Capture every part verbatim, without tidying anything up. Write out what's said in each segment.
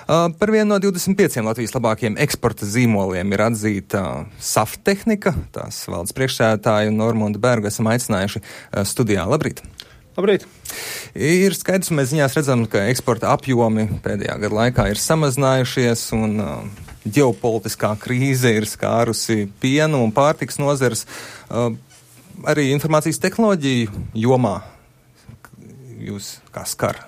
Uh, par vienu no divdesmit pieciem Latvijas labākajiem eksporta zīmoliem ir atzīta Saftehnika. Tās valdes priekšsēdētāju Normunda Bergu esam aicinājuši uh, studijā. Labrīt! Labrīt! Ir skaidrs, un mēs ziņās redzam, ka eksporta apjomi pēdējā gada laikā ir samazinājušies un uh, ģeopolitiskā krīze ir skārusi pienu un pārtiks nozares. Uh, arī informācijas tehnoloģiju jomā jūs kā skar?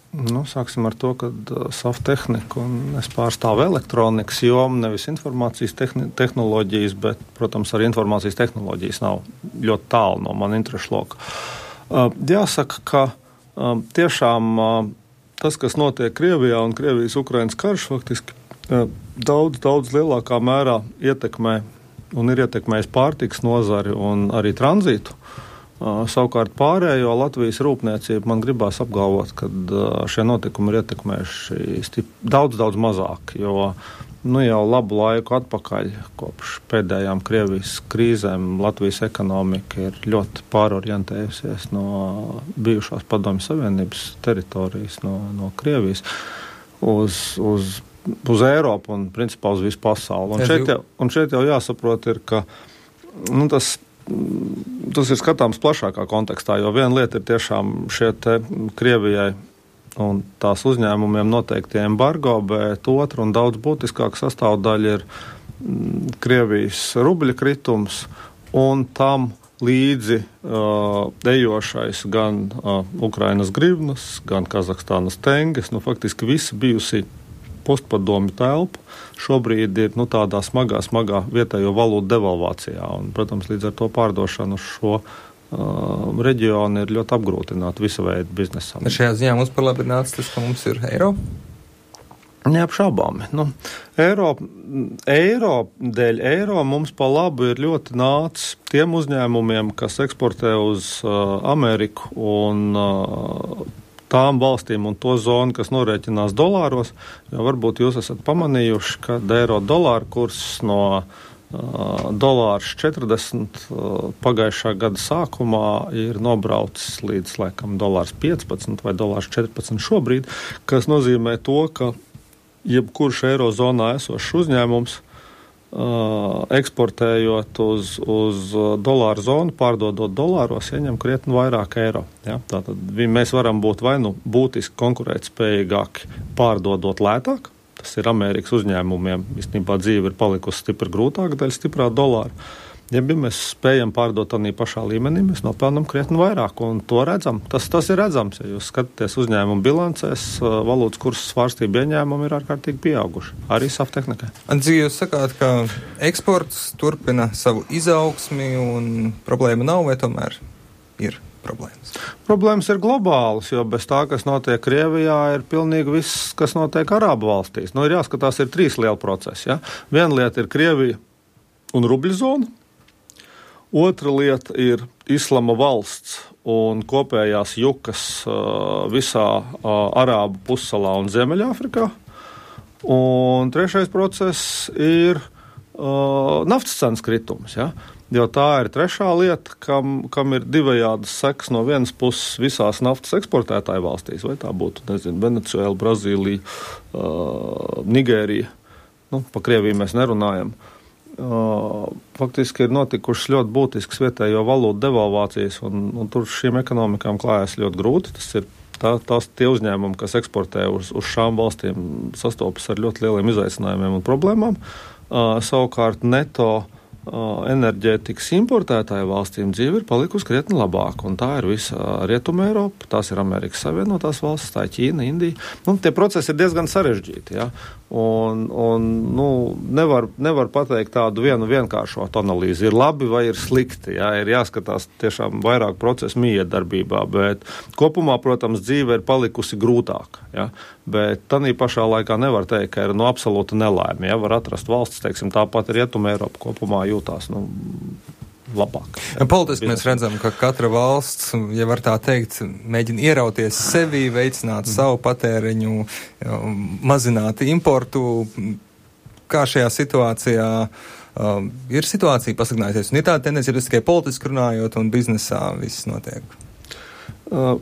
Nu, sāksim ar to, ka uh, Saftehnika un es pārstāvu elektronikas jomu, nevis informācijas tehni- tehnoloģijas, bet, protams, arī informācijas tehnoloģijas nav ļoti tālu no man interešu loka. Uh, jāsaka, ka uh, tiešām uh, tas, kas notiek Krievijā un Krievijas-Ukrainas karš, faktiski uh, daudz, daudz lielākā mērā ietekmē un ir ietekmējis pārtikas nozari un arī tranzītu. Uh, savukārt pārējo Latvijas rūpniecību man gribās apgalvot, ka uh, šie notikumi ir ietekmējuši stip, daudz, daudz mazāk, jo nu, jau labu laiku atpakaļ, kopš pēdējām Krievijas krīzēm, Latvijas ekonomika ir ļoti pārorientējusies no bijušās Padomju Savienības teritorijas, no, no Krievijas uz, uz, uz Eiropu un principā uz visu pasauli. Un šeit jau, un šeit jau jāsaprot ir, ka nu, tas Tas ir skatāms plašākā kontekstā, jo viena lieta ir tiešām šie te Krievijai un tās uzņēmumiem noteikti embargo, bet otra un daudz būtiskāka sastāvdaļa ir Krievijas rubļa kritums un tam līdzi uh, ejošais gan uh, Ukrainas grivnas, gan Kazahstānas tenges, nu faktiski visi bijusi postpadomju telpu šobrīd ir nu, tādā smagā, smagā vietējo valūtu devalvācijā. Un, protams, līdz ar to pārdošanu uz šo uh, reģionu ir ļoti apgrūtināta visa veida biznesam. Šajā ziņā mums par labi ir nācis tas, ka mums ir eiro? Neapšaubāmi. Nu, eiro, eiro dēļ eiro mums pa labu ir ļoti nācis tiem uzņēmumiem, kas eksportē uz uh, Ameriku un uh, tām valstīm un to zonu, kas norēķinās dolāros, jo varbūt jūs esat pamanījuši, ka eiro dolāra kurs no uh, dolārs četrdesmit uh, pagājušā gada sākumā ir nobraucis līdz, laikam, dolārs piecpadsmit vai dolārs četrpadsmit šobrīd, kas nozīmē to, ka jebkurš eirozonā esošs uzņēmums Uh, eksportējot uz, uz dolāru zonu, pārdodot dolāros, ieņem krietni vairāk eiro. Ja? Tātad mēs varam būt vai nu būtiski konkurētspējīgāki pārdodot lētāk, tas ir Amerikas uzņēmumiem, īstenībā dzīve ir palikusi stipri grūtāka dēļ stiprā dolāra. Ja mēs spējam pārdot tādā pašā līmenī, mēs nopelnam krietni vairāk, un to redzam. Tas, tas ir redzams, ja jūs skatāties uzņēmumu bilancēs, valūtas kursa svārstība ieņēmumi ir ārkārtīgi pieauguši. Arī Saftehnikai. Andzi, jūs sakāt, ka eksports turpina savu izaugsmi un problēma nav, vai tomēr ir problēmas? Problēmas ir globālas, jo bez tā, kas notiek Krievijā, ir pilnīgi viss, kas notiek Arābu valstīs. Nu, ir jāskatās, ir trīs lieli procesi. Ja? Viena lieta ir Krievija un rubļu zona. Otra lieta ir Islama valsts un kopējās jukas uh, visā uh, Arābu pussalā un Ziemeļāfrikā. Un trešais process ir uh, naftas cenas kritums, ja? Jo tā ir trešā lieta, kam, kam ir divējādas sekas no vienas puses visās naftas eksportētāju valstīs, vai tā būtu, nezinu, Venecuēla, Brazīlija, uh, Nigērija. Nu, pa Krieviju mēs nerunājam. Uh, faktiski ir notikušas ļoti būtiskas vietējo valūtu devalvācijas, un, un tur šīm ekonomikām klājas ļoti grūti. Tas ir tā, tās tie uzņēmumi, kas eksportē uz, uz šām valstīm, sastopas ar ļoti lieliem izaicinājumiem un problēmām. Uh, savukārt neto uh, enerģētikas importētāju valstīm dzīve ir palikusi krietni labāka, un tā ir visa Rietuma Eiropa, tās ir Amerikas Savienotās valstis, tā ir Ķīna, Indija. Nu, tie procesi ir diezgan sarežģīti, ja? Un, un nu, nevar, nevar pateikt tādu vienu vienkāršotu analīzi. Ir labi vai ir slikti, jā, ir jāskatās tiešām vairāk procesu miedarbībā, bet kopumā, protams, dzīve ir palikusi grūtāka, jā, bet tanī pašā laikā nevar teikt, ka ir no absolūta nelēma, jā, var atrast valsts, teiksim, tāpat Rietuma Eiropa kopumā jūtās, nu, labāk. Politiski mēs redzam, ka katra valsts, ja var tā teikt, mēģina ierauties sevi, veicināt mm. savu patēriņu, mazināt importu. Kā šajā situācijā uh, ir situācija pasliktinājusies? Un ir tāda tendencija, tikai politiski runājot un biznesā viss notiek? Uh,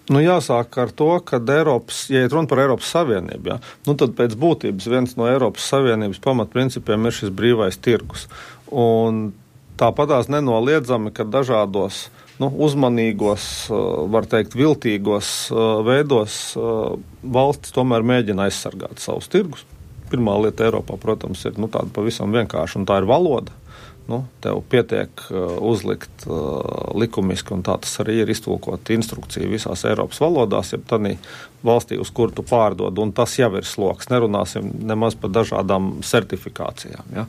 Nu, jāsāk ar to, ka Eiropas, ja ir runa par Eiropas Savienību, ja, nu, tad pēc būtības viens no Eiropas Savienības pamatprincipiem ir šis brīvais tirgus. Un tāpatās nenoliedzami, ka dažādos nu, uzmanīgos, var teikt, viltīgos veidos valsts tomēr mēģina aizsargāt savus tirgus. Pirmā lieta Eiropā, protams, ir nu, tāda pavisam vienkārša, un tā ir valoda. Nu, tev pietiek uh, uzlikt uh, likumiski, un tā tas arī ir iztulkot instrukciju visās Eiropas valodās, ja tādī valstī, uz kuru tu pārdod, un tas jau ir sloks. Nerunāsim nemaz par dažādām certifikācijām. Ja?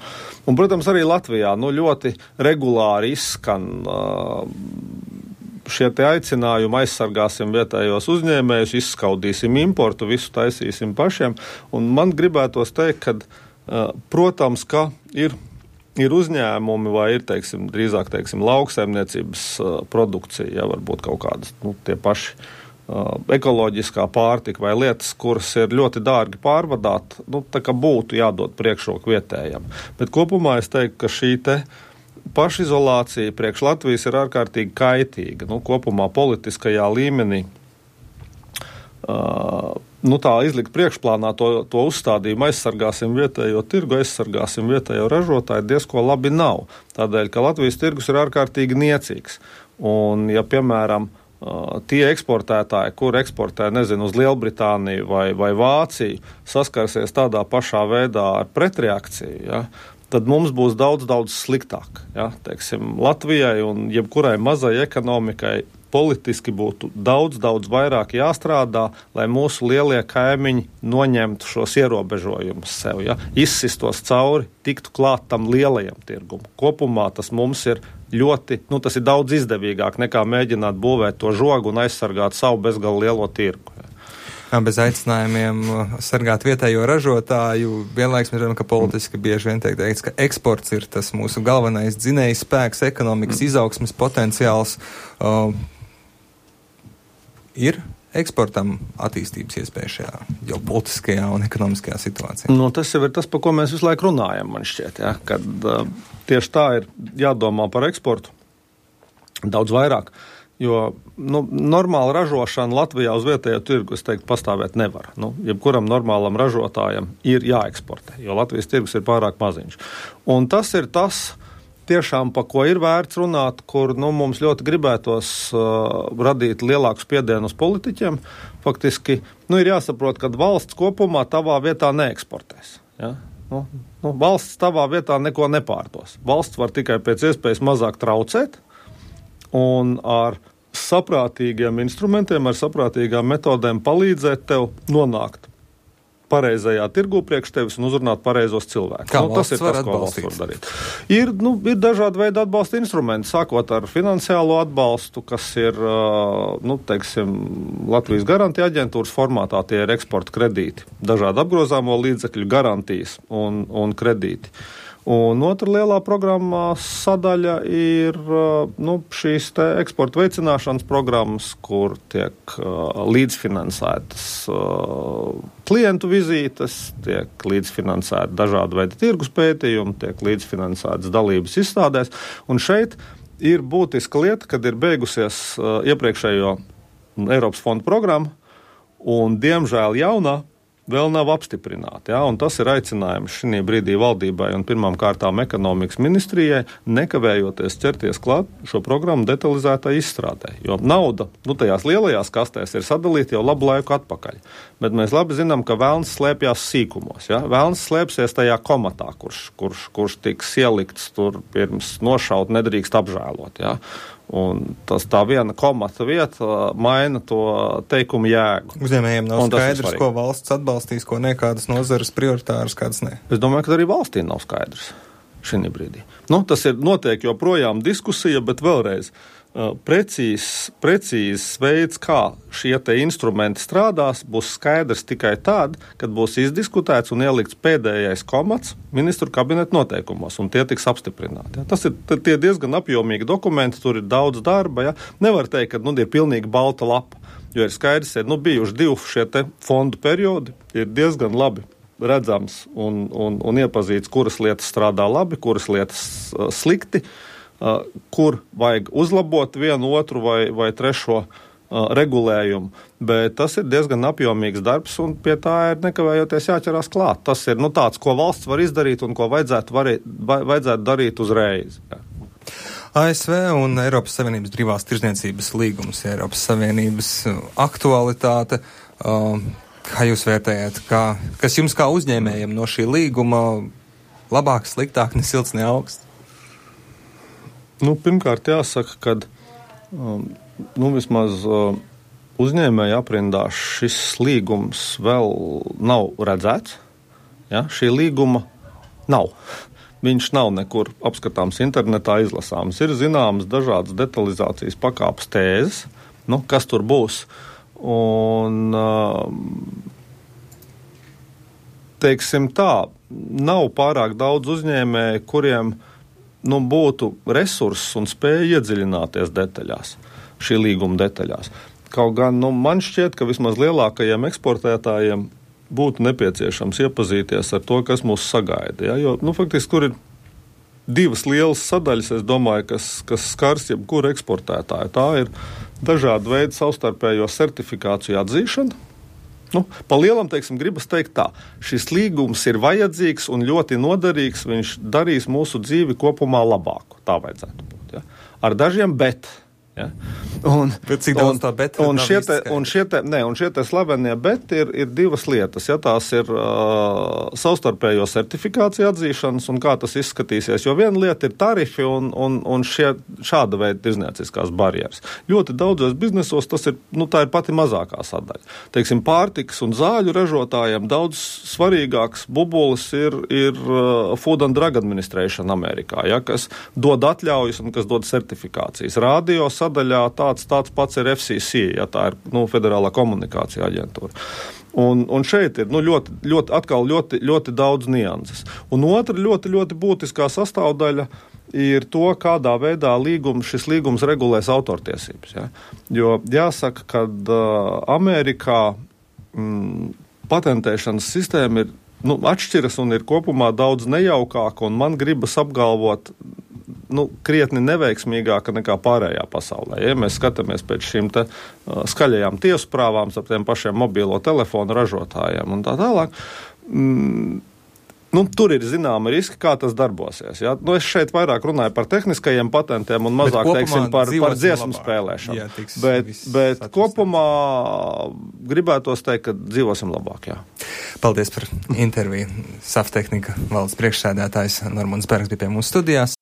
Un, protams, arī Latvijā nu, ļoti regulāri izskan uh, šie te aicinājumi, aizsargāsim vietējos uzņēmējus, izskaudīsim importu, visu taisīsim pašiem. Un man gribētos teikt, ka, uh, protams, ka ir Ir uzņēmumi vai ir, teiksim, drīzāk, teiksim, lauksaimniecības uh, produkcija, ja varbūt kaut kādas, nu, tie paši uh, ekoloģiskā pārtika vai lietas, kuras ir ļoti dārgi pārvadāt, nu, tā kā būtu jādod priekšroku vietējam. Bet kopumā es teiktu, ka šī te pašizolācija priekš Latvijas ir ārkārtīgi kaitīga. Nu, kopumā politiskajā līmenī uh, nu tā izlikt priekšplānā to, to uzstādījumu, aizsargāsim vietējo tirgu, aizsargāsim vietējo ražotāju, diezko labi nav. Tādēļ, ka Latvijas tirgus ir ārkārtīgi niecīgs. Un, ja, piemēram, tie eksportētāji, kur eksportē, nezinu, uz Lielbritāniju vai, vai Vāciju, saskarsies tādā pašā veidā ar pretreakciju, ja, tad mums būs daudz, daudz sliktāk. Ja, teiksim, Latvijai un jebkurai mazai ekonomikai politiski būtu daudz, daudz vairāk jāstrādā, lai mūsu lielie kaimiņi noņemtu šos ierobežojumus sev, ja? Izsistos cauri, tiktu klāt tam lielajam tirgum. Kopumā tas mums ir ļoti, nu tas ir daudz izdevīgāk nekā mēģināt būvēt to žogu un aizsargāt savu bezgalu lielo tirgu. Ja? Jā, bez aicinājumiem sargāt vietējo ražotāju, vienlaiks mēs redzam, ka politiski bieži vien tiek teikts, ka eksports ir tas mūsu galvenais dzinējs spēks, ekonomikas mm. izaugsmes potenciāls. Uh, Ir eksportam attīstības iespēja šajā jau politiskajā un ekonomiskajā situācijā? Nu, tas jau ir tas, par ko mēs visu laiku runājam, man šķiet, ja? Kad uh, tieši tā ir jādomā par eksportu daudz vairāk, jo nu, normāla ražošana Latvijā uz vietējo tirgu, es teiktu, pastāvēt nevar. Nu, jebkuram normālam ražotājam ir jāeksportē, jo Latvijas tirgus ir pārāk maziņš. Un tas ir tas, tiešām, pa ko ir vērts runāt, kur nu, mums ļoti gribētos uh, radīt lielāku spiedienu uz politiķiem. Faktiski nu, ir jāsaprot, ka valsts kopumā tavā vietā neeksportēs. Ja? Nu, nu, valsts tavā vietā neko nepārdos. Valsts var tikai pēc iespējas mazāk traucēt un ar saprātīgiem instrumentiem, ar saprātīgām metodēm palīdzēt tev nonākt pareizajā tirgu priekš tevis un uzrunāt pareizos cilvēkus. Kā nu, tas ir tas, ko valsts var darīt. Ir, nu, ir dažādi veidi atbalsta instrumenti, sākot ar finansiālo atbalstu, kas ir, nu, teiksim, Latvijas garantija aģentūras formātā, tie ir eksporta kredīti, dažādi apgrozāmo līdzekļu garantijas un, un kredīti. Un otra lielā programmā sadaļa ir nu, šīs te eksporta veicināšanas programmas, kur tiek uh, līdzfinansētas uh, klientu vizītes, tiek līdzfinansēti dažādi veidi tirgus pētījumi, tiek līdzfinansētas dalības izstādēs. Un šeit ir būtiska lieta, kad ir beigusies uh, iepriekšējo Eiropas fondu programma, un diemžēl jaunā vēl nav apstiprināti. Ja? Un tas ir aicinājums šī brīdī valdībai un pirmām kārtām ekonomikas ministrijai nekavējoties ķerties klāt šo programmu detalizētai izstrādē. Jo nauda, nu tajās lielajās kastēs ir sadalīta jau labu laiku atpakaļ. Bet mēs labi zinām, ka velns slēpjās sīkumos. Ja? Velns slēpsies tajā komatā, kurš, kurš, kurš tiks ielikts tur pirms nošaut, nedrīkst apžēlot. Ja? Un tas tā viena komata vieta maina to teikumu jēgu. Uzņēmējiem nav skaidrs, ko valsts atbalstīs, ko ne, kādas nozares prioritāras, kādas ne. Es domāju, ka arī valstī nav skaidrs šī brīdī. Nu, tas ir notiek joprojām diskusija, bet vēlreiz uh, precīzs, precīzs veids, kā šie te instrumenti strādās, būs skaidrs tikai tad, kad būs izdiskutēts un ielikts pēdējais komats ministru kabineta noteikumos, un tie tiks apstiprināti. Ja? Tas ir tie diezgan apjomīgi dokumenti, tur ir daudz darba. Ja? Nevar teikt, ka nu, ir pilnīgi balta lapa, jo ir skaidrs, ir nu, bijuši divi šie te fondu periodi, ir diezgan labi redzams un, un, un iepazīts, kuras lietas strādā labi, kuras lietas uh, slikti, uh, kur vajag uzlabot vienu, otru vai, vai trešo uh, regulējumu, bet tas ir diezgan apjomīgs darbs un pie tā ir nekavējoties jāķerās klāt. Tas ir nu, tāds, ko valsts var izdarīt un ko vajadzētu, varēt, vajadzētu darīt uzreiz. Jā. A S V un Eiropas Savienības brīvās tirdzniecības līgums, Eiropas Savienības aktualitāte. Uh, kā jūs vērtējat, kā, kas jums kā uzņēmējiem no šī līguma labāk, sliktāk, ne silts, ne augsts? Nu, pirmkārt jāsaka, ka um, nu, vismaz uh, uzņēmēja aprindā šis līgums vēl nav redzēts. Ja? Šī līguma nav. Viņš nav nekur apskatāms internetā izlasāms. Ir zināmas dažādas detalizācijas pakāpes tēzes, nu, kas tur būs. Un, teiksim tā, nav pārāk daudz uzņēmēju, kuriem nu, būtu resurss un spēja iedziļināties detaļās, šī līguma detaļās. Kaut gan nu, man šķiet, ka vismaz lielākajiem eksportētājiem būtu nepieciešams iepazīties ar to, kas mūs sagaida. Ja? Jo, nu, faktiski, kur ir divas lielas sadaļas, es domāju, kas, kas skars jebkuru eksportētāju. Tā ir dažādu veidu savstarpējo certifikāciju atzīšana. Nu, pa lielam, teiksim, gribas teikt tā, šis līgums ir vajadzīgs un ļoti noderīgs, viņš darīs mūsu dzīvi kopumā labāku. Tā vajadzētu būt. Ja? Ar dažiem bet. Ja? Un, bet cik daudz tā bet? Un šie te, un šie te, ne, un šie te slavenie bet ir, ir divas lietas. Ja? Tās ir uh, savstarpējo certifikāciju atzīšanas un kā tas izskatīsies. Jo viena lieta ir tarifi un, un, un šie, šāda veida tirdzniecīskās barjeras. Ļoti daudzos biznesos tas ir, nu, tā ir pati mazākā sadaļa. Teiksim, pārtikas un zāļu ražotājiem daudz svarīgāks bubulis ir, ir uh, Food and Drug Administration Amerikā, ja? Kas dod atļaujas un kas dod certifikācijas. Radio sadaļā tāds, tāds pats ir F C C, ja tā ir nu, Federālā komunikācija aģentūra. Un, un šeit ir nu, ļoti, ļoti, atkal ļoti, ļoti daudz nianses. Un otra ļoti, ļoti būtiskā sastāvdaļa ir to, kādā veidā līgums, šis līgums regulēs autortiesības. Ja? Jo jāsaka, ka uh, Amerikā mm, patentēšanas sistēma ir nu, atšķiras un ir kopumā daudz nejaukāka, un man gribas apgalvot, nu, krietni neveiksmīgāka nekā pārējā pasaulē. Ja mēs skatāmies pēc šīm te uh, skaļajām tiesprāvām ar tiem pašiem mobilo telefonu ražotājiem un tā tālāk, mm, nu, tur ir zināma riski, kā tas darbosies. Ja? Nu, es šeit vairāk runāju par tehniskajiem patentiem un mazāk, teiksim, par, par dziesmu labāk. Spēlēšanu. Jā, tiks, bet bet kopumā gribētos teikt, ka dzīvosim labāk, jā. Paldies par interviju. Saftehnika valdes priekšsēdētājs Normons Bergs bija pie mūsu studijās.